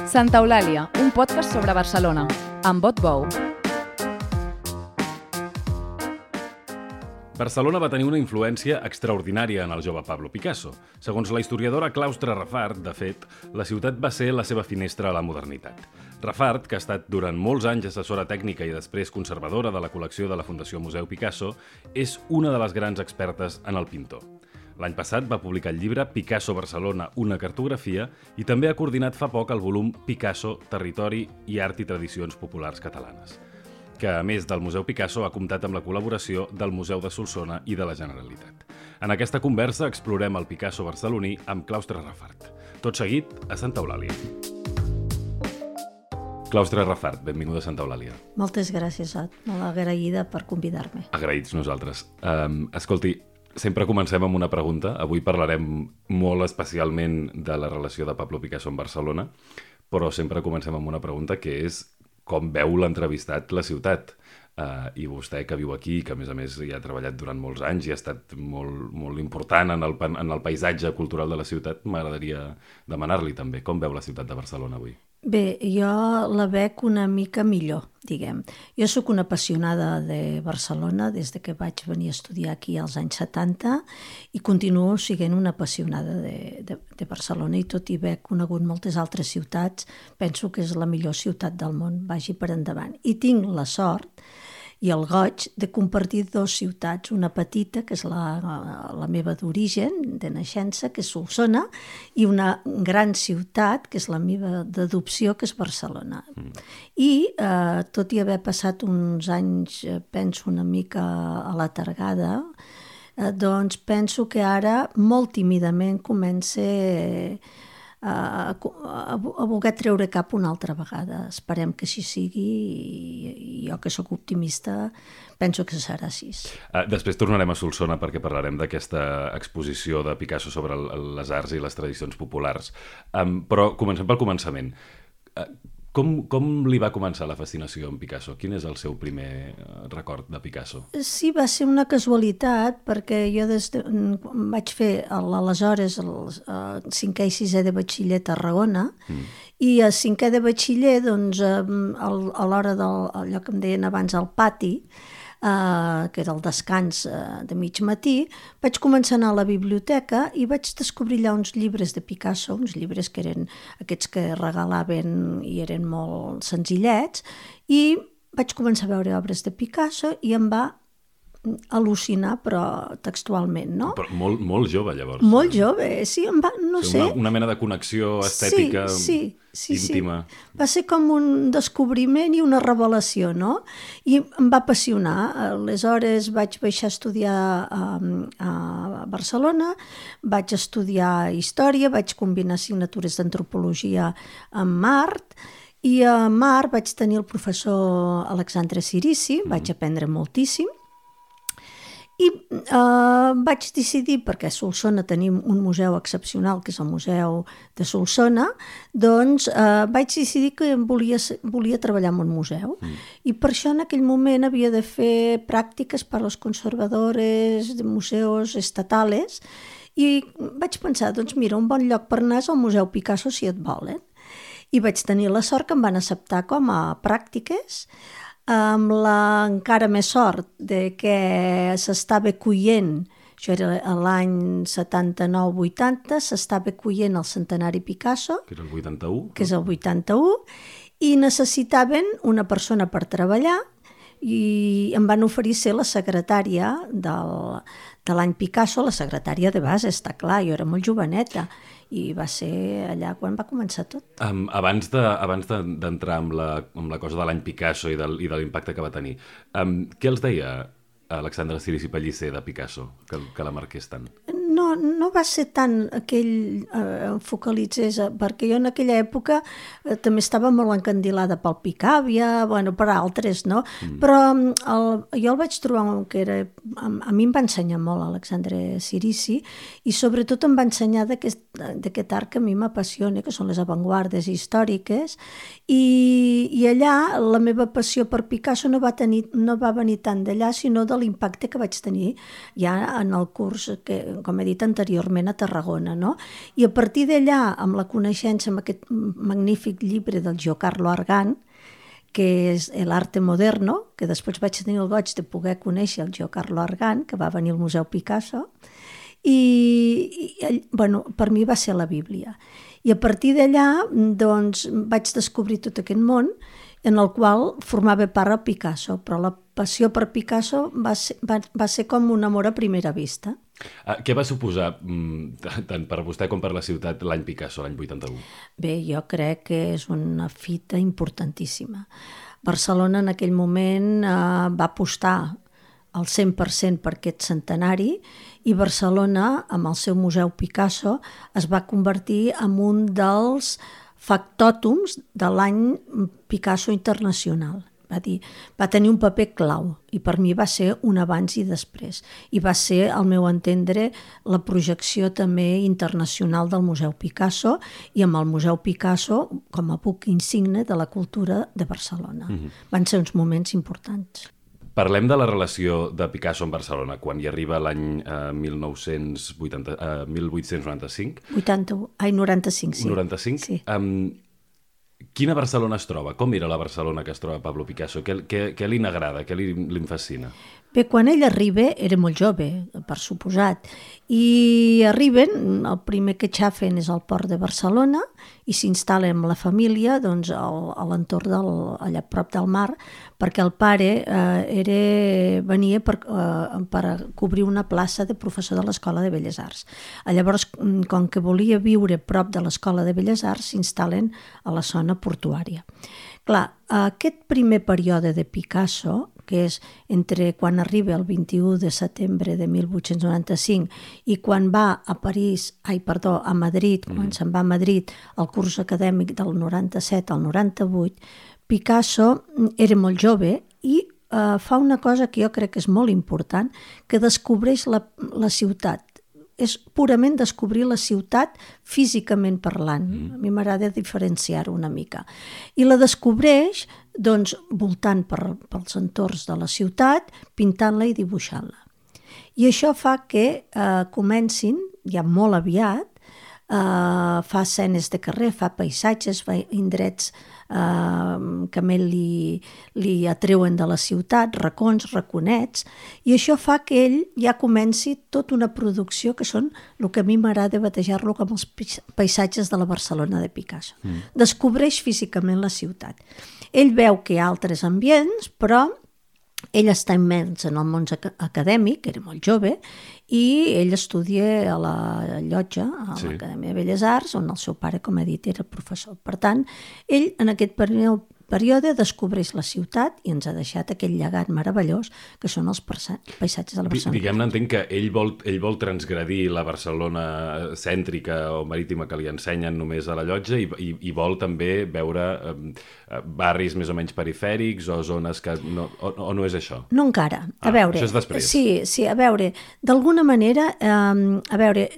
Santa Eulàlia, un podcast sobre Barcelona, amb Bot Bou. Barcelona va tenir una influència extraordinària en el jove Pablo Picasso. Segons la historiadora Claustre Rafart, de fet, la ciutat va ser la seva finestra a la modernitat. Rafart, que ha estat durant molts anys assessora tècnica i després conservadora de la col·lecció de la Fundació Museu Picasso, és una de les grans expertes en el pintor. L'any passat va publicar el llibre Picasso Barcelona, una cartografia, i també ha coordinat fa poc el volum Picasso, Territori i Art i Tradicions Populars Catalanes, que, a més del Museu Picasso, ha comptat amb la col·laboració del Museu de Solsona i de la Generalitat. En aquesta conversa explorem el Picasso barceloní amb Claustre Rafart. Tot seguit, a Santa Eulàlia. Claustre Rafart, benvinguda a Santa Eulàlia. Moltes gràcies, Ot. Molt agraïda per convidar-me. Agraïts nosaltres. Escolti, sempre comencem amb una pregunta. Avui parlarem molt especialment de la relació de Pablo Picasso amb Barcelona, però sempre comencem amb una pregunta que és com veu l'entrevistat la ciutat. I vostè, que viu aquí, que a més hi ha treballat durant molts anys i ha estat molt important en el paisatge cultural de la ciutat, m'agradaria demanar-li també com veu la ciutat de Barcelona avui. Bé, jo la veig una mica millor, diguem. Jo sóc una apassionada de Barcelona des de que vaig venir a estudiar aquí als anys 70 i continuo sent una apassionada de Barcelona, i tot i haver conegut moltes altres ciutats, penso que és la millor ciutat del món, vagi per endavant. I tinc la sort i el goig de compartir dues ciutats, una petita, que és la meva d'origen, de naixença, que és Solsona, i una gran ciutat, que és la meva d'adopció, que és Barcelona. I tot i haver passat uns anys, penso, una mica a la targada, doncs penso que ara, molt tímidament, comença a voler treure cap una altra vegada. Esperem que així sigui, i jo, que sóc optimista, penso que serà així. Després tornarem a Solsona perquè parlarem d'aquesta exposició de Picasso sobre les arts i les tradicions populars. Però comencem pel començament. Com li va començar la fascinació amb Picasso? Quin és el seu primer record de Picasso? Sí, va ser una casualitat, perquè jo vaig fer aleshores el 5è i 6è de batxiller a Tarragona, i a 5è de batxiller, doncs, a l'hora d'allò que em deien abans al pati, que era el descans de mig matí, vaig començar a anar a la biblioteca i vaig descobrir allà uns llibres de Picasso, uns llibres que eren aquests que regalaven i eren molt senzillets, i vaig començar a veure obres de Picasso i em va al·lucinar, però textualment, no? Però molt jove, llavors. Molt jove, sí, em va, no sé. Una mena de connexió estètica íntima. Va ser com un descobriment i una revelació, no? I em va apassionar. Aleshores vaig baixar a estudiar a Barcelona, vaig estudiar història, vaig combinar assignatures d'antropologia amb art, i a art vaig tenir el professor Alexandre Cirici, vaig aprendre moltíssim. I vaig decidir, perquè a Solsona tenim un museu excepcional, que és el Museu de Solsona, doncs vaig decidir que volia treballar en un museu. I per això en aquell moment havia de fer pràctiques per als conservadores de museus estatals, i vaig pensar, doncs mira, un bon lloc per anar és el Museu Picasso, si et volen. I vaig tenir la sort que em van acceptar com a pràctiques, amb encara més sort de que s'estava coient, això era l'any 79-80, s'estava coient el centenari Picasso, que és el 81. Que és el 81, i necessitaven una persona per treballar, i em van oferir ser la secretària de l'any Picasso, la secretària de base, està clar, jo era molt joveneta, i va ser allà quan va començar tot. Abans d'entrar amb la cosa de l'any Picasso i de l'impacte que va tenir, què els deia Alexandre Cirici Pellicer de Picasso, que la marqués tant? No va ser tant aquell focalitzés, perquè jo en aquella època també estava molt encandilada pel Picàvia, per altres, no? Però jo el vaig trobar que era... A mi em va ensenyar molt Alexandre Cirici, i sobretot em va ensenyar d'aquest art que a mi m'apassiona, que són les avantguardes històriques, i allà la meva passió per Picasso no va venir tant d'allà, sinó de l'impacte que vaig tenir ja en el curs, que, com he dit anteriorment, a Tarragona, no? I a partir d'allà, amb la coneixença, amb aquest magnífic llibre del Giocarlo Argan, que és l'arte moderno, que després vaig tenir el goig de poder conèixer el Giocarlo Argan, que va venir al Museu Picasso, i bueno, per mi va ser la Bíblia. I a partir d'allà doncs, vaig descobrir tot aquest món en el qual formava part a Picasso, però la passió per Picasso va ser com un amor a primera vista. Què va suposar, tant per vostè com per la ciutat, l'any Picasso, l'any 81? Bé, jo crec que és una fita importantíssima. Barcelona en aquell moment va apostar al 100% per aquest centenari i Barcelona, amb el seu Museu Picasso, es va convertir en un dels factòtums de l'any Picasso Internacional. Va tenir un paper clau i per mi va ser un abans i després. I va ser, al meu entendre, la projecció també internacional del Museu Picasso i amb el Museu Picasso com a buc insigne de la cultura de Barcelona. Van ser uns moments importants. Parlem de la relació de Picasso amb Barcelona, quan hi arriba l'any 1895. 95, sí. 95? Sí. Quina Barcelona es troba? Com era la Barcelona que es troba Pablo Picasso? Què li n'agrada? Què li fascina? Bé, quan ell arriba, era molt jove, per suposat, i arriben, el primer que xafen és al port de Barcelona i s'instal·la amb la família doncs, a l'entorn allà prop del mar, perquè el pare venia per cobrir una plaça de professor de l'Escola de Belles Arts. Llavors, com que volia viure prop de l'Escola de Belles Arts, s'instal·len a la zona portuària. Clar, aquest primer període de Picasso, que és entre quan arriba el 21 de setembre de 1895 i quan va a Madrid, quan se'n va a Madrid al curs acadèmic del 97 al 98, Picasso era molt jove i fa una cosa que jo crec que és molt important, que descobreix la ciutat. És purament descobrir la ciutat físicament parlant. A mi m'agrada diferenciar-ho una mica. I la descobreix doncs, voltant pels entorns de la ciutat, pintant-la i dibuixant-la. I això fa que comencin, ja molt aviat, fa escenes de carrer, fa paisatges, fa indrets que més li atreuen de la ciutat, racons, raconets, i això fa que ell ja comenci tota una producció que són el que a mi m'agrada batejar-lo com els paisatges de la Barcelona de Picasso. Descobreix físicament la ciutat. Ell veu que hi ha altres ambients, però ell està immens en el món acadèmic, era molt jove, i ell estudia a la Llotja, a l'Acadèmia de Belles Arts, on el seu pare, com he dit, era professor. Per tant, ell en aquest període descobreix la ciutat i ens ha deixat aquell llegat meravellós que són els paisatges de la Barcelona. Diguem-ne, entenc que ell vol transgredir la Barcelona cèntrica o marítima que li ensenyen només a la Llotja i vol també veure barris més o menys perifèrics o zones que... O no és això? No encara. A veure... Això és després. Sí, a veure, d'alguna manera,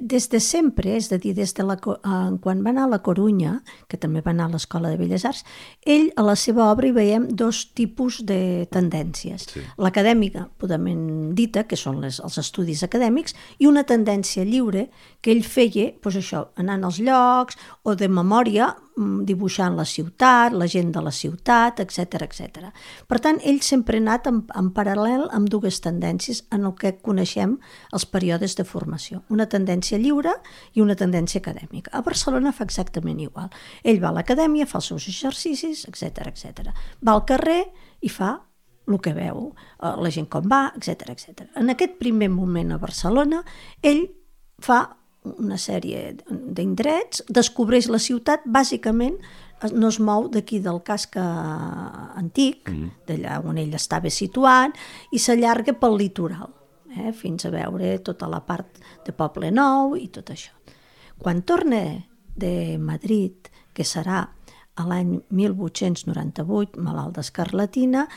des de sempre, és a dir, quan va anar a la Corunya, que també va anar a l'Escola de Belles Arts, ell a la seva obra hi veiem dos tipus de tendències. Sí. L'acadèmica, purament dita, que són els estudis acadèmics, i una tendència lliure que ell feia, doncs això, anant als llocs o de memòria, dibuixant la ciutat, la gent de la ciutat, etc etc. Per tant, ell sempre ha anat en paral·lel amb dues tendències en el que coneixem els períodes de formació. Una tendència lliure i una tendència acadèmica. A Barcelona fa exactament igual. Ell va a l'acadèmia, fa els seus exercicis, etc etc. Va al carrer i fa el que veu, la gent com va, etc etc. En aquest primer moment a Barcelona, ell fa una sèrie d'indrets, descobreix la ciutat, bàsicament no es mou d'aquí del casc antic, d'allà on ell estava situat, i s'allarga pel litoral, fins a veure tota la part de Poble Nou i tot això. Quan torna de Madrid, que serà a l'any 1898, malalt d'escarlatina,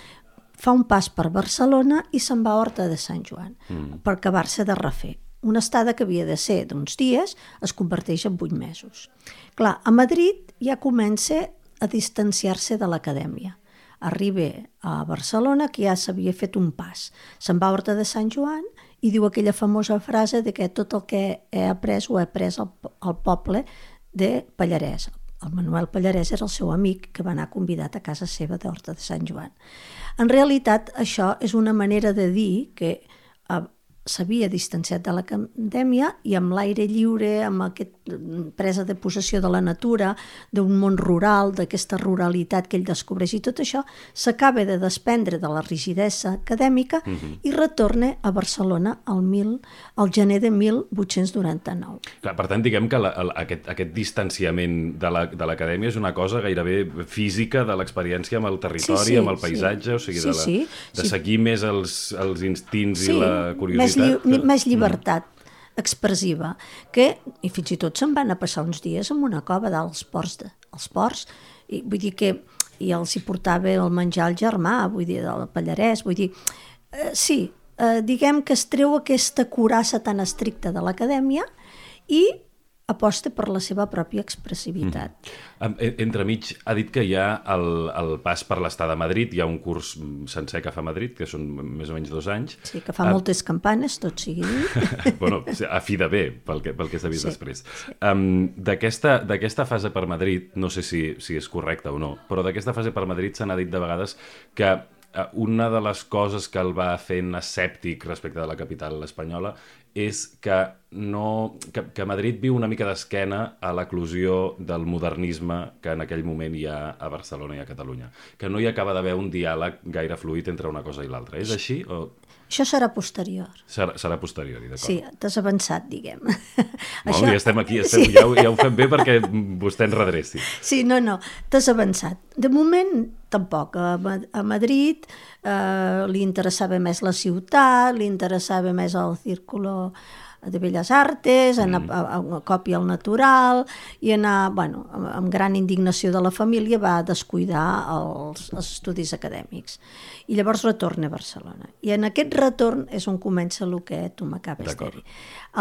fa un pas per Barcelona i se'n va a Horta de Sant Joan, per acabar-se de refer. Una estada que havia de ser d'uns dies es converteix en 8 mesos. Clar, a Madrid ja comença a distanciar-se de l'acadèmia. arriba a Barcelona, que ja s'havia fet un pas. Se'n va a Horta de Sant Joan i diu aquella famosa frase de que tot el que he après ho he après al poble de Pallarès. El Manuel Pallarès era el seu amic que va anar convidat a casa seva d'Horta de Sant Joan. En realitat, això és una manera de dir que s'havia distanciat de l'acadèmia i amb l'aire lliure, amb aquesta presa de possessió de la natura, d'un món rural, d'aquesta ruralitat que ell descobreix i tot això, s'acaba de desprendre de la rigidesa acadèmica i retorna a Barcelona al gener de 1899. Clar, per tant, diguem que aquest distanciament de l'acadèmia és una cosa gairebé física de l'experiència amb el territori, amb el paisatge, o sigui, de seguir més els instints i la curiositat. Més llibertat expressiva, que i fins i tot se'n van a passar uns dies en una cova dalt als ports, i vull dir que i els hi portava el menjar al germà, vull dir, del Pallarès, vull dir, diguem que es treu aquesta curassa tan estricta de l'acadèmia i aposta per la seva pròpia expressivitat. Entremig, ha dit que hi ha el pas per l'estada a Madrid, hi ha un curs sencer que fa a Madrid, que són més o menys 2 anys. Sí, que fa moltes campanes, tot sigui dit. Bueno, a fi de bé, pel que s'ha vist després. D'aquesta fase per Madrid, no sé si és correcte o no, però d'aquesta fase per Madrid se n'ha dit de vegades que una de les coses que el va fent escèptic respecte de la capital espanyola és que Madrid viu una mica d'esquena a l'eclosió del modernisme que en aquell moment hi ha a Barcelona i a Catalunya. Que no hi acaba d'haver un diàleg gaire fluid entre una cosa i l'altra. És així? Això serà posterior. Serà posterior, d'acord. Sí, t'has avançat, diguem. Ja estem aquí, ja ho fem bé perquè vostè ens redreci. Sí, no, t'has avançat. De moment, tampoc. A Madrid li interessava més la ciutat, li interessava més el círculo de Belles Artes, anar a còpia al natural i anar, amb gran indignació de la família va descuidar els estudis acadèmics. I llavors retorna a Barcelona. I en aquest retorn és on comença el que tu m'acabes de dir.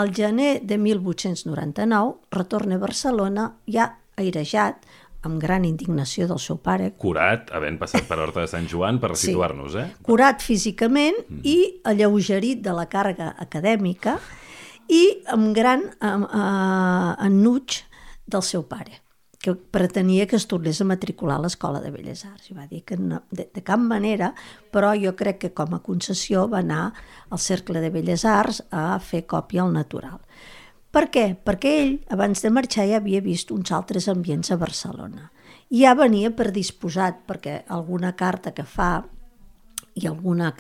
Al gener de 1899 retorna a Barcelona ja airejat, amb gran indignació del seu pare. Curat, havent passat per Horta de Sant Joan, per situar-nos, Curat físicament i alleugerit de la càrrega acadèmica i amb gran ennuig del seu pare, que pretenia que es tornés a matricular a l'Escola de Belles Arts. I va dir que no, de cap manera, però jo crec que com a concessió va anar al Cercle de Belles Arts a fer còpia al natural. Per què? Perquè ell, abans de marxar, ja havia vist uns altres ambients a Barcelona. I ja venia predisposat, perquè alguna carta que fa i alguna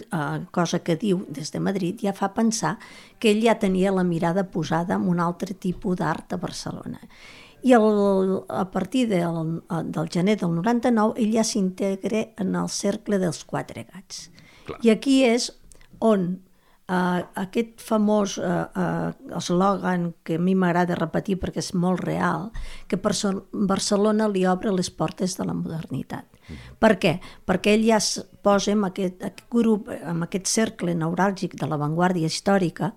cosa que diu des de Madrid ja fa pensar que ell ja tenia la mirada posada en un altre tipus d'art a Barcelona. I a partir del gener del 99 ell ja s'integra en el Cercle dels Quatre Gats. Clar. I aquí és on aquest famós eslògan que a mi m'agrada repetir perquè és molt real, que Barcelona li obre les portes de la modernitat. Per què? Perquè ell ja es posa en aquest grup, en aquest cercle neuràlgic de l'avantguàrdia històrica,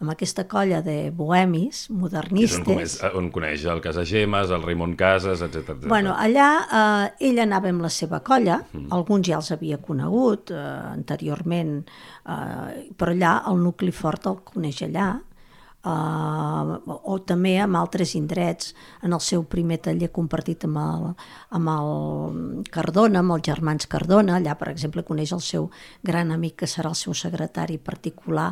amb aquesta colla de bohemis, modernistes. On coneix el Casagemes, el Raimon Casas, etc. Allà ell anava amb la seva colla, alguns ja els havia conegut anteriorment, però allà el nucli fort el coneix allà, o també amb altres indrets, en el seu primer taller compartit amb el Cardona, amb els germans Cardona. Allà, per exemple, coneix el seu gran amic que serà el seu secretari particular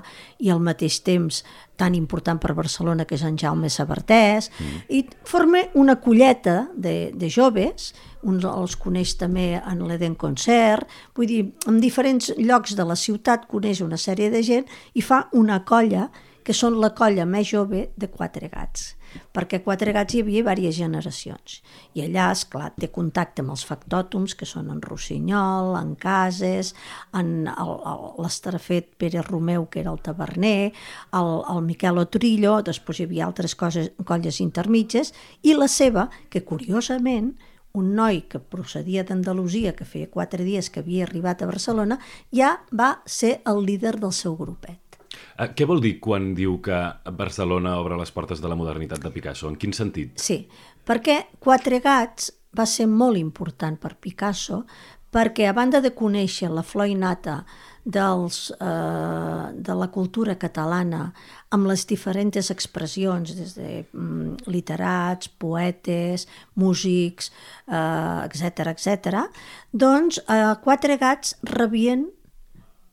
i al mateix temps tan important per Barcelona, que és en Jaume Sabartés, i forma una colleta de joves, uns els coneix també en l'Eden Concert, vull dir, en diferents llocs de la ciutat coneix una sèrie de gent i fa una colla que són la colla més jove de Quatre Gats, perquè a Quatre Gats hi havia diverses generacions. I allà, esclar, té contacte amb els factòtums, que són en Rossinyol, en Cases, en l'estrafet Pere Romeu, que era el taverner, el Miquel Otrillo, després hi havia altres colles intermitges, i la seva, que curiosament, un noi que procedia d'Andalusia, que feia 4 dies que havia arribat a Barcelona, ja va ser el líder del seu grupet. Què vol dir quan diu que Barcelona obre les portes de la modernitat de Picasso? En quin sentit? Sí, perquè Quatre Gats va ser molt important per Picasso perquè a banda de conèixer la flor innata de la cultura catalana amb les diferents expressions, des de literats, poetes, músics, etc., doncs Quatre Gats rebien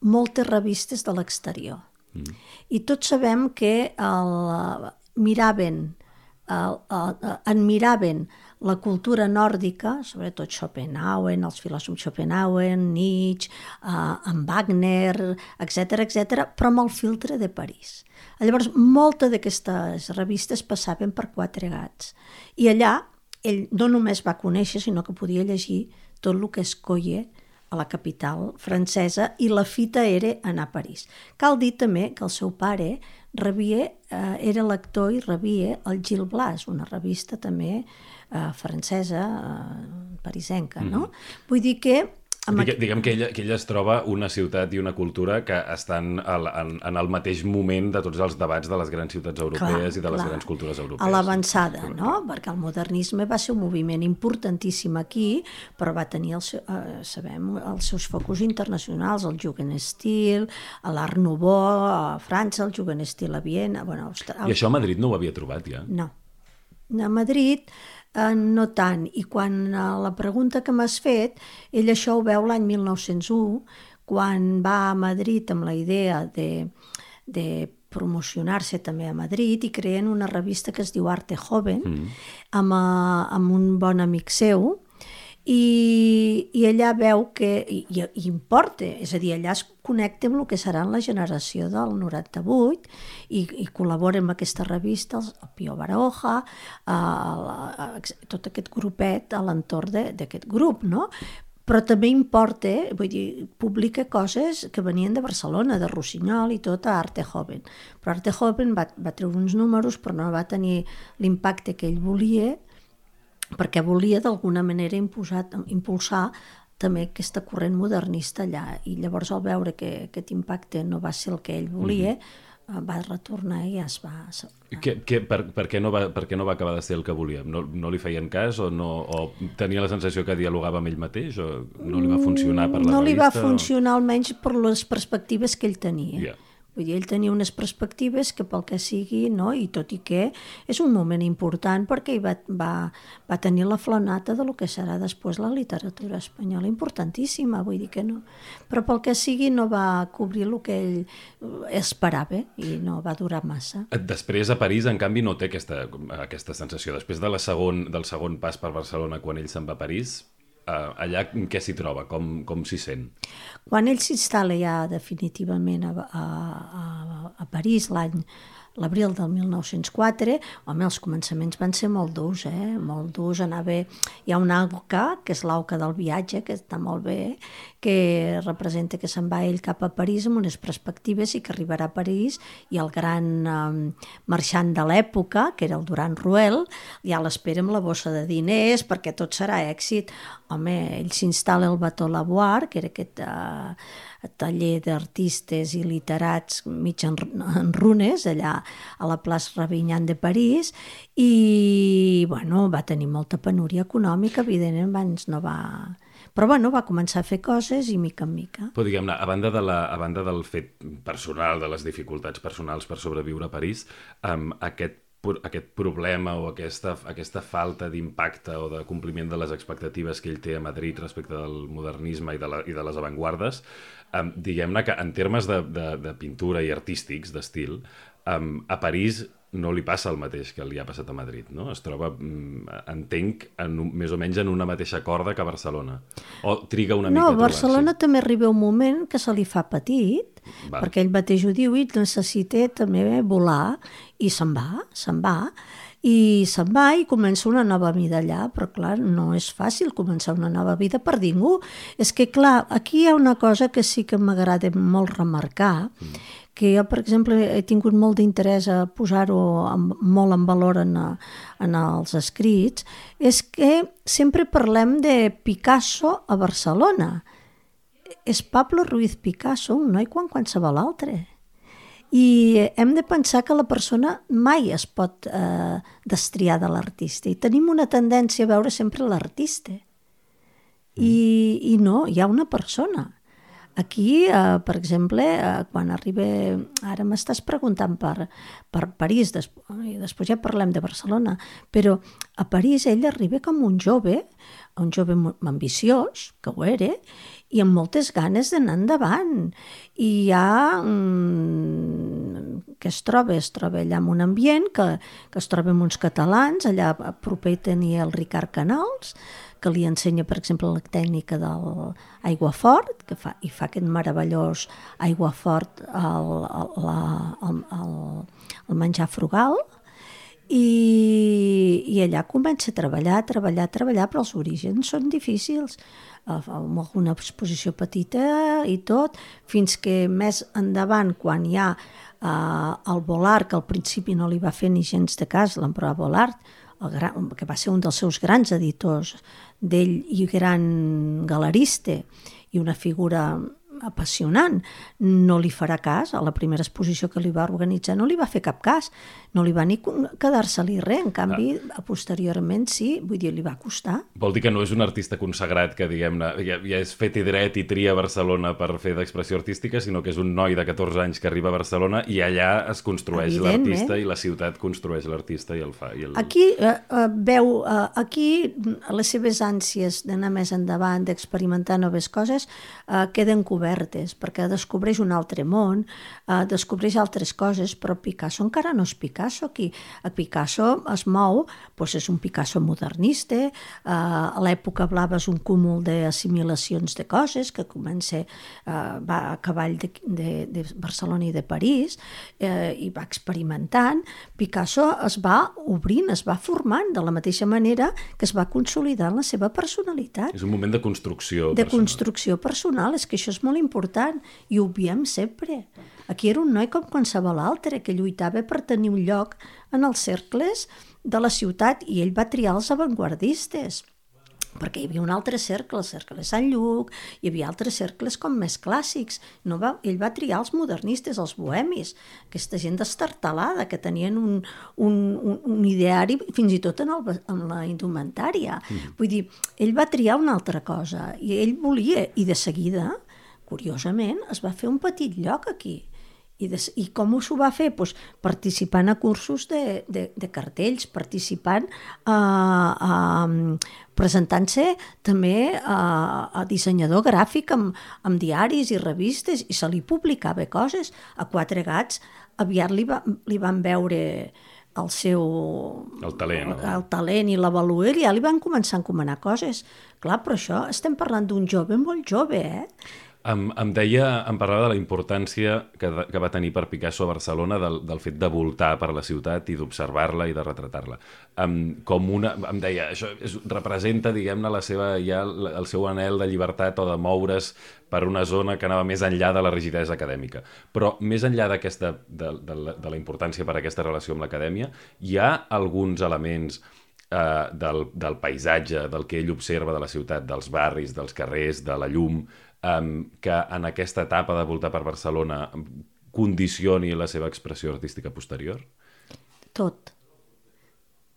moltes revistes de l'exterior. I tots sabem que admiraven la cultura nòrdica, sobretot Schopenhauer, els filòsofs Schopenhauer, Nietzsche, en Wagner, etc., però amb el filtre de París. Llavors, moltes d'aquestes revistes passaven per Quatre Gats. I allà ell no només va conèixer, sinó que podia llegir tot el que es coia a la capital francesa, i la fita era anar a París. Cal dir també que el seu pare era lector i rebia el Gil Blas, una revista també francesa, parisenca, no? Vull dir que... Diguem que ella es troba una ciutat i una cultura que estan en el mateix moment de tots els debats de les grans ciutats europees i de les grans cultures europees. A l'avançada, no? Perquè el modernisme va ser un moviment importantíssim aquí, però va tenir, sabem, els seus focus internacionals, el Jugendstil, l'Art Nouveau, a França, el Jugendstil a Viena... I això a Madrid no ho havia trobat, ja? No. A Madrid... no tant, i quan la pregunta que m'has fet, ell això ho veu l'any 1901, quan va a Madrid amb la idea de promocionar-se també a Madrid, i creen una revista que es diu Arte Joven, amb un bon amic seu, i allà veu que i importa, és a dir, allà es connecta amb el que serà la generació del 98 i col·labora amb aquesta revista, el Pío Baroja, tot aquest grupet a l'entorn d'aquest grup, no? Però també importa, vull dir, publica coses que venien de Barcelona, de Rossinyol i tot a Arte Joven. Però Arte Joven va treure uns números, però no va tenir l'impacte que ell volia, perquè volia d'alguna manera impulsar també aquesta corrent modernista allà, i llavors al veure que aquest impacte no va ser el que ell volia, va retornar i ja es va... Per què no va acabar de ser el que volia? No li feien cas o tenia la sensació que dialogava amb ell mateix o no li va funcionar per la revista? No li va funcionar almenys per les perspectives que ell tenia. Yeah. Vull dir, ell tenia unes perspectives que pel que sigui, no? I tot i que és un moment important perquè ell va tenir la flonata de lo que serà després la literatura espanyola, importantíssima, vull dir que no. Però pel que sigui no va cobrir el que ell esperava i no va durar massa. Després a París, en canvi, no té aquesta sensació. Després del segon pas per Barcelona, quan ell se'n va a París, allà què s'hi troba? Com s'hi sent? Quan ell s'instal·la ja definitivament a París l'abril del 1904, home, els començaments van ser molt durs, molt durs. Hi ha una AUCA, que és l'AUCA del viatge, que està molt bé, que representa que se'n va ell cap a París amb unes perspectives i que arribarà a París i el gran marxant de l'època, que era el Duran Ruel, ja l'espera amb la bossa de diners perquè tot serà èxit. Home, ell s'instal·la al Bateau Lavoir, que era aquest taller d'artistes i literats mig en runes, allà a la plaça Ravignan de París, i va tenir molta penúria econòmica, evidentment abans no va... Però va començar a fer coses i mica en mica. Però diguem-ne, a banda del fet personal, de les dificultats personals per sobreviure a París, aquest problema o aquesta falta d'impacte o de compliment de les expectatives que ell té a Madrid respecte del modernisme i de les avantguardes, diguem-ne que en termes de pintura i artístics, d'estil, a París no li passa el mateix que li ha passat a Madrid, no? Es troba, entenc, més o menys en una mateixa corda que a Barcelona. O triga una mica a trobar-s'hi. No, a Barcelona també arriba un moment que se li fa petit, perquè ell mateix ho diu, i necessita també volar, i se'n va, i comença una nova vida allà, però clar, no és fàcil començar una nova vida per ningú. És que clar, aquí hi ha una cosa que sí que m'agrada molt remarcar, que jo, per exemple, he tingut molt d'interès a posar-ho molt en valor en els escrits, és que sempre parlem de Picasso a Barcelona. És Pablo Ruiz Picasso, un noi com qualsevol altre. I hem de pensar que la persona mai es pot destriar de l'artista, i tenim una tendència a veure sempre l'artista. I no, hi ha una persona. Aquí, per exemple, quan arriba... Ara m'estàs preguntant per París, i després ja parlem de Barcelona, però a París ell arriba com un jove ambiciós, que ho era, i amb moltes ganes d'anar endavant. I ja que es troba allà en un ambient, que es troba amb uns catalans, allà proper tenia el Ricard Canals, que li ensenya, per exemple, la tècnica de l'aiguafort, fa aquest meravellós aiguafort al menjar frugal, i allà comença a treballar, però els orígens són difícils, amb alguna exposició petita i tot, fins que més endavant, quan hi ha el Volart, que al principi no li va fer ni gens de cas, l'emperò Volart, que va ser un dels seus grans editors, d'ell i gran galerista i una figura apassionant, no li farà cas. A la primera exposició que li va organitzar no li va fer cap cas, no li va ni quedar-se-li res. En canvi, posteriorment sí, vull dir, li va costar. Vol dir que no és un artista consagrat que, diguem-ne, ja és fet i dret i tria Barcelona per fer d'expressió artística, sinó que és un noi de 14 anys que arriba a Barcelona i allà es construeix l'artista i la ciutat construeix l'artista i el fa. Aquí veu, les seves ànsies d'anar més endavant, d'experimentar noves coses, queden cobertes, perquè descobreix un altre món, descobreix altres coses, però Picasso encara no és Picasso aquí. A Picasso es mou, doncs és un Picasso modernista, a l'època blava és un cúmul d'assimilacions de coses, que va a cavall de Barcelona i de París, i va experimentant. Picasso es va obrint, es va formant, de la mateixa manera que es va consolidant la seva personalitat. És un moment de construcció personal. De construcció personal, és que això és molt important, i ho obviem sempre. Aquí era un noi com qualsevol altre, que lluitava per tenir un lloc en els cercles de la ciutat, i ell va triar els avantguardistes, perquè hi havia un altre cercle, el cercle de Sant Lluc, hi havia altres cercles com més clàssics. Ell va triar els modernistes, els bohemis, aquesta gent destartalada, que tenien un ideari fins i tot en la indumentària. Vull dir, ell va triar una altra cosa, i ell volia, i de seguida, curiosament, es va fer un petit lloc aquí. I com s'ho va fer? Pues participant a cursos de cartells, participant, presentant-se també a dissenyador gràfic amb diaris i revistes, i se li publicava coses. A Quatre Gats aviat li van veure el talent i la valuer, i ja li van començar a encomanar coses. Clar, però això estem parlant d'un jove molt jove, Em parlava de la importància que va tenir per Picasso a Barcelona del fet de voltar per la ciutat i d'observar-la i de retratar-la. Em deia, això representa, diguem-ne, el seu anhel de llibertat o de moure's per una zona que anava més enllà de la rigidesa acadèmica. Però més enllà de la importància per a aquesta relació amb l'acadèmia, hi ha alguns elements del paisatge, del que ell observa de la ciutat, dels barris, dels carrers, de la llum, que en aquesta etapa de voltar per Barcelona condicioni la seva expressió artística posterior? Tot.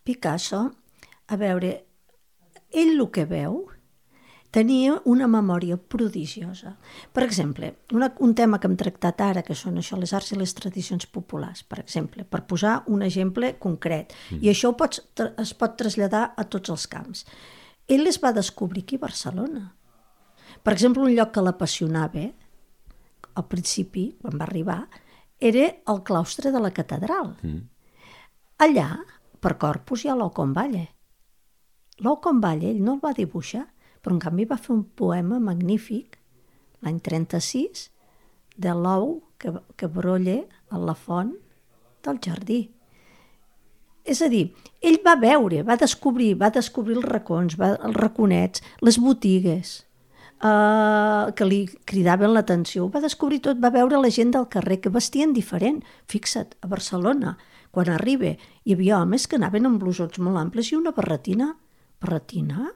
Picasso, a veure, ell el que veu tenia una memòria prodigiosa. Per exemple, un tema que hem tractat ara, que són això, les arts i les tradicions populars, per exemple, per posar un exemple concret, i això es pot traslladar a tots els camps. Ell les va descobrir aquí a Barcelona. Per exemple, un lloc que l'apassionava, al principi, quan va arribar, era el claustre de la catedral. Allà, per Corpus, hi ha l'ou con Valle. L'ou con Valle, ell no el va dibuixar, però en canvi va fer un poema magnífic, l'any 36, de l'ou que brolla a la font del jardí. És a dir, ell va veure, va descobrir els racons, els raconets, les botigues, que li cridaven l'atenció. Va descobrir tot, va veure la gent del carrer que vestien diferent. Fixa't, a Barcelona, quan arriba, hi havia homes que anaven amb blusons molt amples i una barretina. Barretina?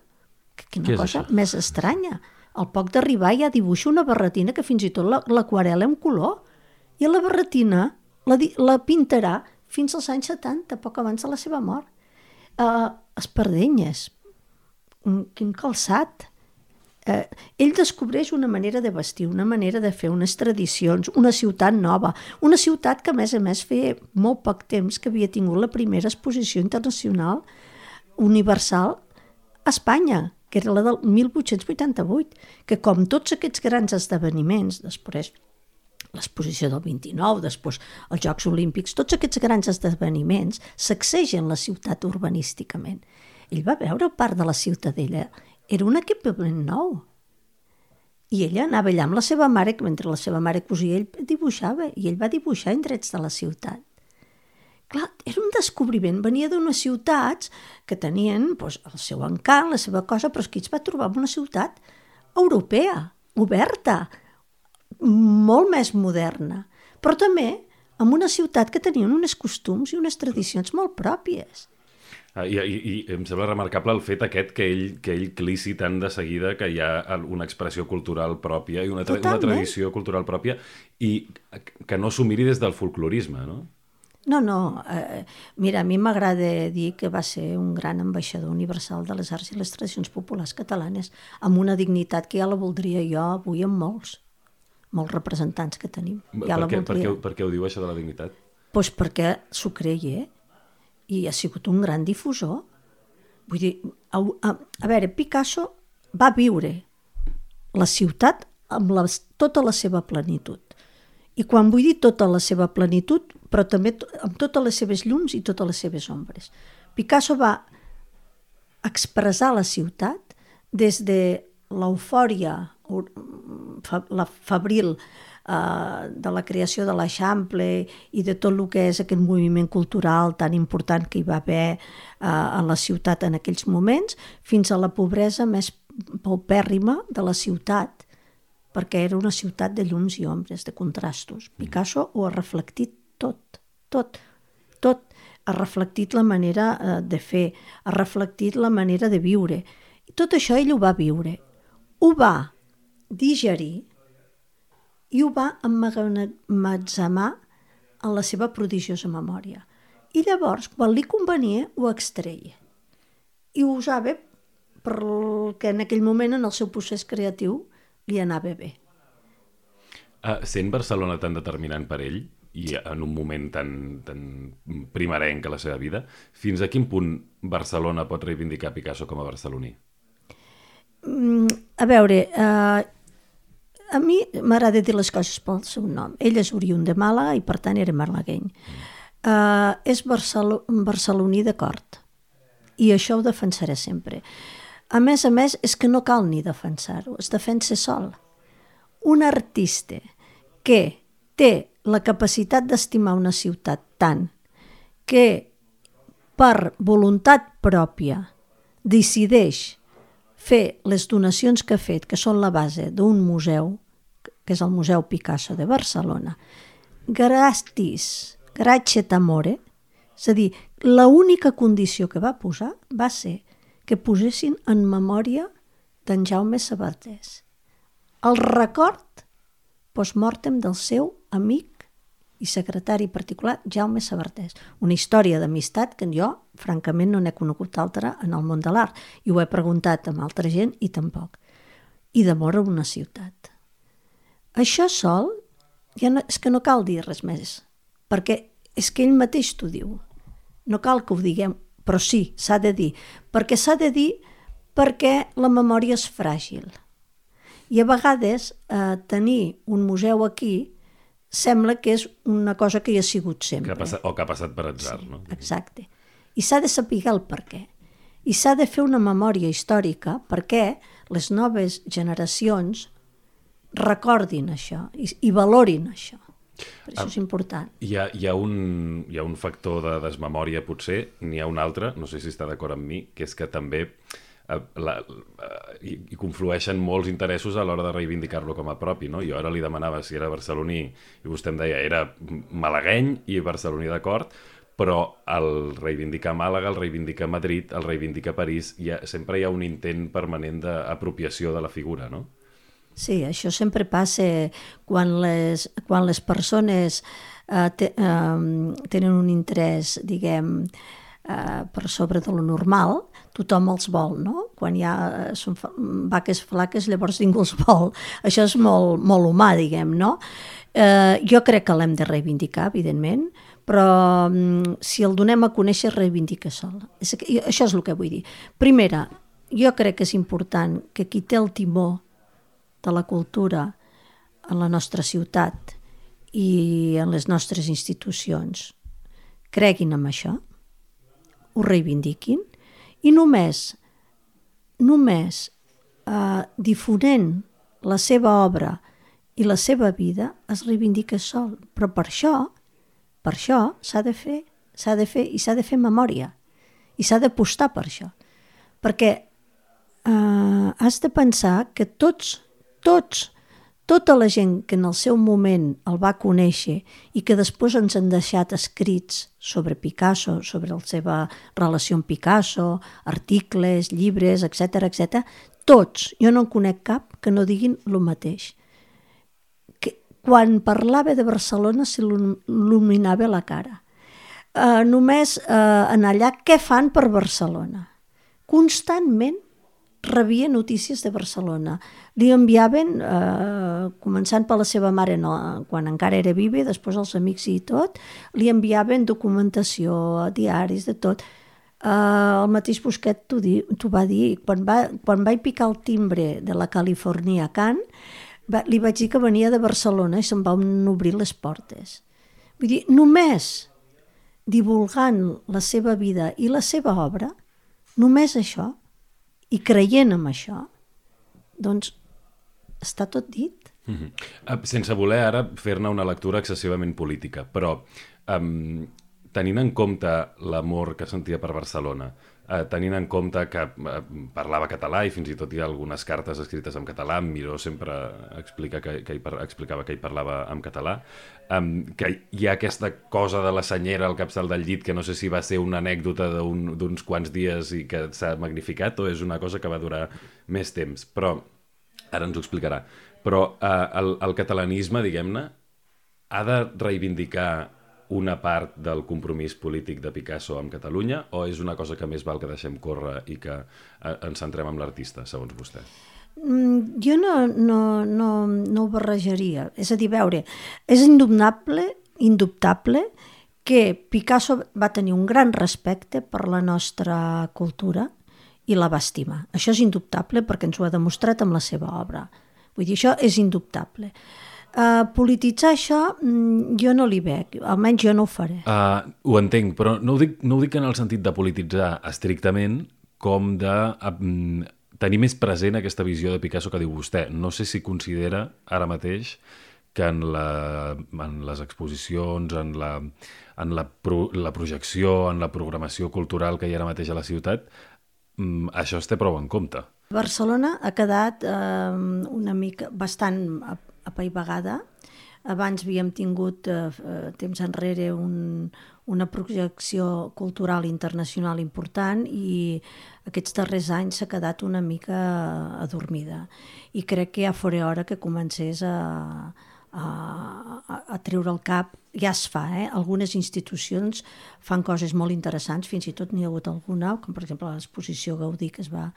Quina cosa més estranya. Al poc d'arribar ja dibuixa una barretina que fins i tot l'aquarela en color. I la barretina la pintarà fins als anys 70, poc abans de la seva mort. Espardenyes. Quin calçat. ell descobreix una manera de vestir, una manera de fer, unes tradicions, una ciutat nova, una ciutat que a més feia molt poc temps que havia tingut la primera exposició internacional universal a Espanya, que era la del 1888, que com tots aquests grans esdeveniments, després l'exposició del 29, després els Jocs Olímpics, tots aquests grans esdeveniments sacsegen la ciutat urbanísticament. Ell va veure part de la ciutadella, era un equipament nou. I ella anava allà amb la seva mare, que mentre la seva mare cosia, ell dibuixava, i ell va dibuixar indrets de la ciutat. Clar, era un descobriment, venia d'unes ciutats que tenien doncs, el seu encant, la seva cosa, però és que ell es va trobar en una ciutat europea, oberta, molt més moderna, però també en una ciutat que tenien uns costums i unes tradicions molt pròpies. I em sembla remarcable el fet aquest que ell clici tant de seguida que hi ha una expressió cultural pròpia i una tradició cultural pròpia i que no s'ho miri des del folclorisme, no? No. Mira, a mi m'agrada dir que va ser un gran ambaixador universal de les arts i les tradicions populars catalanes, amb una dignitat que ja la voldria jo avui amb molts representants que tenim. Per què ho diu, això de la dignitat? Doncs perquè s'ho creia i ha sigut un gran difusor. Vull dir, a veure, Picasso va viure la ciutat amb tota la seva plenitud. I quan vull dir tota la seva plenitud, però també amb totes les seves llums i totes les seves ombres. Picasso va expressar la ciutat des de l'eufòria febril de la creació de l'Eixample i de tot el que és aquest moviment cultural tan important que hi va haver a la ciutat en aquells moments, fins a la pobresa més paupèrrima de la ciutat, perquè era una ciutat de llums i ombres, de contrastos. Picasso ho ha reflectit tot. Ha reflectit la manera de fer, ha reflectit la manera de viure. I tot això ell ho va viure, ho va digerir i ho va emmagatzemar en la seva prodigiosa memòria. I llavors, quan li convenia, ho extreia. I ho usava perquè en aquell moment, en el seu procés creatiu, li anava bé. Sent Barcelona tan determinant per ell, i en un moment tan primerenc a la seva vida, fins a quin punt Barcelona pot reivindicar Picasso com a barceloní? A veure, a mi m'agrada dir les coses pel seu nom. Ell és oriünd de Màlaga i per tant era malagueny. És barceloní de cort i això ho defensaré sempre. A més, és que no cal ni defensar-ho, es defensa sol. Un artista que té la capacitat d'estimar una ciutat tant que per voluntat pròpia decideix fer les donacions que ha fet, que són la base d'un museu, que és el Museu Picasso de Barcelona, gratis amore, és a dir, l'única condició que va posar va ser que posessin en memòria d'en Jaume Sabartés el record post-mortem del seu amic i secretari particular Jaume Sabartés. Una història d'amistat que jo, francament, no n'he conegut altra en el món de l'art i ho he preguntat amb altra gent i tampoc. I d'amor a una ciutat. Això sol, és que no cal dir res més, perquè és que ell mateix t'ho diu. No cal que ho diguem, però sí, s'ha de dir. Perquè s'ha de dir perquè la memòria és fràgil. I a vegades tenir un museu aquí sembla que és una cosa que hi ha sigut sempre. O que ha passat per atzar, no? Exacte. I s'ha de saber el per què. I s'ha de fer una memòria històrica perquè les noves generacions recordin això i valorin això. Per això és important. Hi ha un factor de desmemòria, potser, n'hi ha un altre, no sé si està d'acord amb mi, que és que també hi conflueixen molts interessos a l'hora de reivindicar-lo com a propi, no? Jo ara li demanava si era barceloní i vostè em deia era malagueny i barceloní d'acord, però el reivindicar Màlaga, el reivindicar Madrid, el reivindicar París, sempre hi ha un intent permanent d'apropiació de la figura, no? Sí, això sempre passa quan les persones tenen un interès, diguem, per sobre de lo normal, tothom els vol, no? Quan hi ha són vaques flaques, llavors ningú els vol. Això és molt, molt humà, diguem, no? Jo crec que l'hem de reivindicar, evidentment, però si el donem a conèixer, reivindica sol. Això és el que vull dir. Primera, jo crec que és important que qui té el timó de la cultura en la nostra ciutat i en les nostres institucions creguin en això, ho reivindiquin i només difonent la seva obra i la seva vida es reivindica sol. Però per això s'ha de fer i s'ha de fer memòria i s'ha d'apostar per això. Perquè has de pensar que tota la gent que en el seu moment el va conèixer i que després ens han deixat escrits sobre Picasso, sobre la seva relació amb Picasso, articles, llibres, etc., tots, jo no en conec cap que no diguin el mateix. Quan parlava de Barcelona s'il·luminava la cara. Només en allà, què fan per Barcelona? Constantment rebia notícies de Barcelona. Li enviaven, començant per la seva mare, quan encara era viva, després els amics i tot, li enviaven documentació, diaris, de tot. El mateix Busquet t'ho va dir. Quan vaig picar el timbre de la California Can, li vaig dir que venia de Barcelona i se'm van obrir les portes. Vull dir, només divulgant la seva vida i la seva obra, només això, i creient en això, doncs està tot dit. Sense voler ara fer-ne una lectura excessivament política, però tenint en compte l'amor que sentia per Barcelona, tenint en compte que parlava català i fins i tot hi ha algunes cartes escrites en català, Miró sempre explicava que ell parlava en català, que hi ha aquesta cosa de la senyera al capçal del llit que no sé si va ser una anècdota d'uns quants dies i que s'ha magnificat o és una cosa que va durar més temps, però ara ens ho explicarà. Però el catalanisme, diguem-ne, ha de reivindicar una part del compromís polític de Picasso amb Catalunya o és una cosa que més val que deixem córrer i que ens centrem en l'artista, segons vostè? Jo no ho barrejaria. És a dir, veure, és indubtable que Picasso va tenir un gran respecte per la nostra cultura i la va estimar. Això és indubtable perquè ens ho ha demostrat amb la seva obra. Vull dir, això és indubtable. Polititzar això jo no li veig, almenys jo no ho faré. Ho entenc, però no ho dic en el sentit de polititzar estrictament com de tenir més present aquesta visió de Picasso que diu vostè. No sé si considera ara mateix que en les exposicions, en la projecció, en la programació cultural que hi ha ara mateix a la ciutat, això es té prou en compte. Barcelona ha quedat una mica bastant apaivagada. Abans havíem tingut temps enrere una projecció cultural internacional important i aquests darrers anys s'ha quedat una mica adormida. I crec que ja fora hora que comencés a treure el cap. Ja es fa, algunes institucions fan coses molt interessants, fins i tot n'hi ha hagut alguna, com per exemple l'exposició Gaudí que es va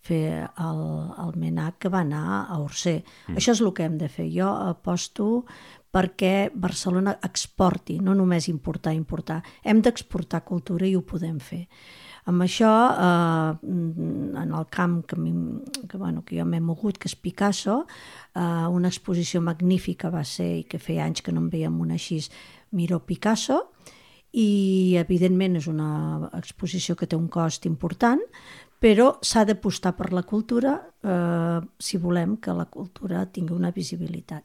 fer al MENAC, que va anar a Orsay. Això és el que hem de fer. Jo aposto perquè Barcelona exporti, no només importar. Hem d'exportar cultura i ho podem fer. Amb això, en el camp que jo m'he mogut, que és Picasso, una exposició magnífica va ser, i que feia anys que no en veiem una així, Miró Picasso, i evidentment és una exposició que té un cost important, però s'ha d'apostar per la cultura si volem que la cultura tingui una visibilitat.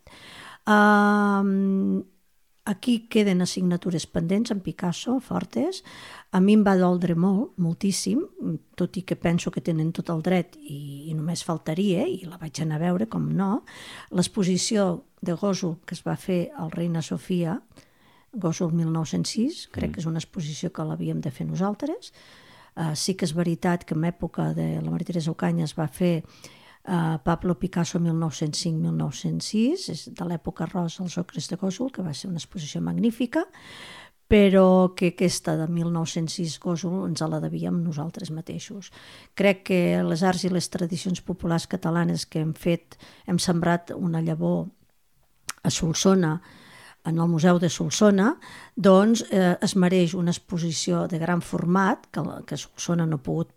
Aquí queden assignatures pendents en Picasso, fortes. A mi em va doldre moltíssim, tot i que penso que tenen tot el dret i només faltaria, i la vaig anar a veure, com no, l'exposició de Gósol que es va fer al Reina Sofia, Gósol 1906, crec que és una exposició que l'havíem de fer nosaltres. Sí que és veritat que en època de la Maria Teresa Ocaña es va fer Pablo Picasso 1905-1906, és de l'època rosa als ocres de Gósol, que va ser una exposició magnífica, però que aquesta de 1906 Gósol ens la devíem nosaltres mateixos. Crec que les arts i les tradicions populars catalanes que hem sembrat una llavor a Solsona, en el Museu de Solsona, doncs es mereix una exposició de gran format que Solsona no ha pogut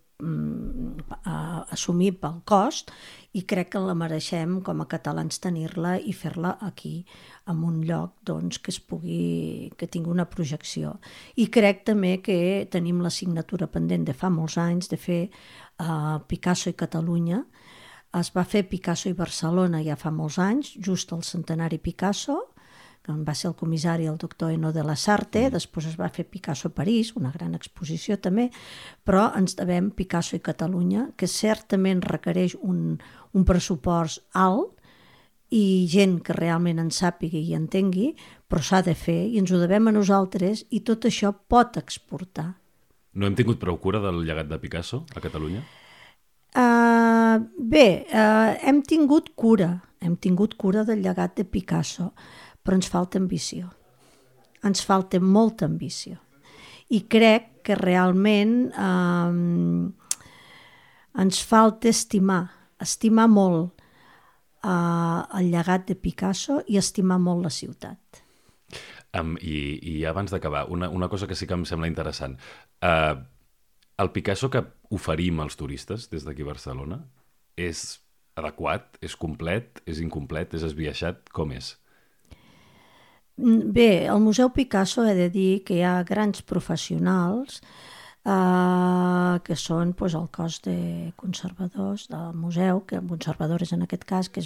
assumir pel cost, i crec que la mereixem com a catalans tenir-la i fer-la aquí, en un lloc doncs, que tingui una projecció. I crec també que tenim la signatura pendent de fa molts anys de fer Picasso i Catalunya. Es va fer Picasso i Barcelona ja fa molts anys, just al centenari Picasso, que va ser el comissari el doctor Eno de la Sarte, després es va fer Picasso a París, una gran exposició també, però ens devem Picasso i Catalunya, que certament requereix un pressupost alt i gent que realment en sàpiga i entengui, però s'ha de fer i ens ho devem a nosaltres i tot això pot exportar. No hem tingut prou cura del llegat de Picasso a Catalunya? Hem tingut cura del llegat de Picasso, però ens falta ambició. Ens falta molta ambició. I crec que realment ens falta estimar molt el llegat de Picasso i estimar molt la ciutat. I abans d'acabar, una cosa que sí que em sembla interessant. El Picasso que oferim als turistes des d'aquí a Barcelona és adequat, és complet, és incomplet, és esbiaixat? Com és? Bé, al Museu Picasso he de dir que hi ha grans professionals que són el cos de conservadors del museu, conservadores en aquest cas, que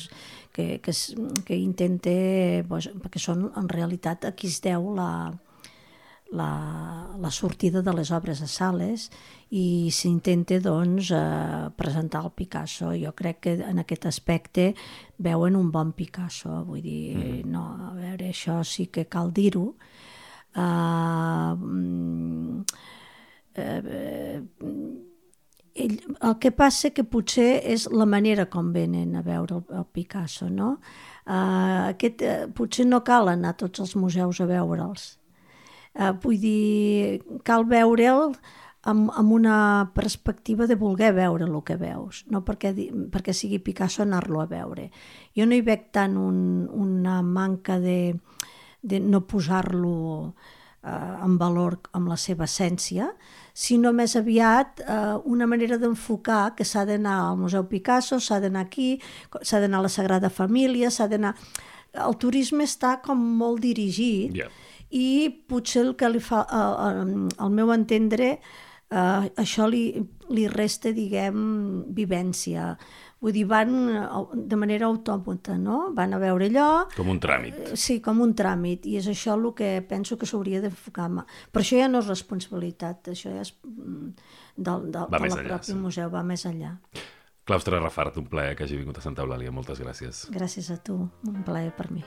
intenta, perquè són en realitat a qui es deu la sortida de les obres a sales i s'intenta presentar el Picasso. Jo crec que en aquest aspecte veuen un bon Picasso, vull dir, no, a veure, això sí que cal dir-ho. El que passa que potser és la manera com venen a veure el Picasso, no? Potser no cal anar a tots els museus a veure'ls. Vull dir, cal veure'l amb una perspectiva de voler veure el que veus, no perquè sigui Picasso anar-lo a veure. Jo no hi veig tant una manca de no posar-lo en valor amb la seva essència, sinó més aviat una manera d'enfocar que s'ha d'anar al Museu Picasso, s'ha d'anar aquí, s'ha d'anar a la Sagrada Família, s'ha d'anar... El turisme està com molt dirigit, i potser el que li fa, al meu entendre, això li resta, diguem, vivència. Vull dir, van de manera autòmata, no? Van a veure allò... Com un tràmit. Sí, com un tràmit, i és això el que penso que s'hauria d'enfocar. Però això ja no és responsabilitat, això ja és del propi museu, va més enllà. Claustre Rafart, un plaer que hagi vingut a Santa Eulàlia. Moltes gràcies. Gràcies a tu, un plaer per mi.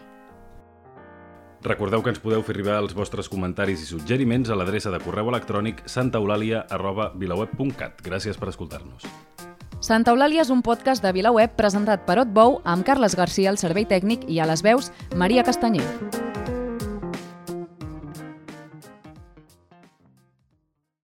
Recordeu que ens podeu fer arribar els vostres comentaris i suggeriments a l'adreça de correu electrònic santaeulalia@vilaweb.cat. Gràcies per escoltar-nos. Santa Eulàlia és un podcast de VilaWeb presentat per Otbou amb Carles Garcia al servei tècnic i a les veus Maria Castanyer.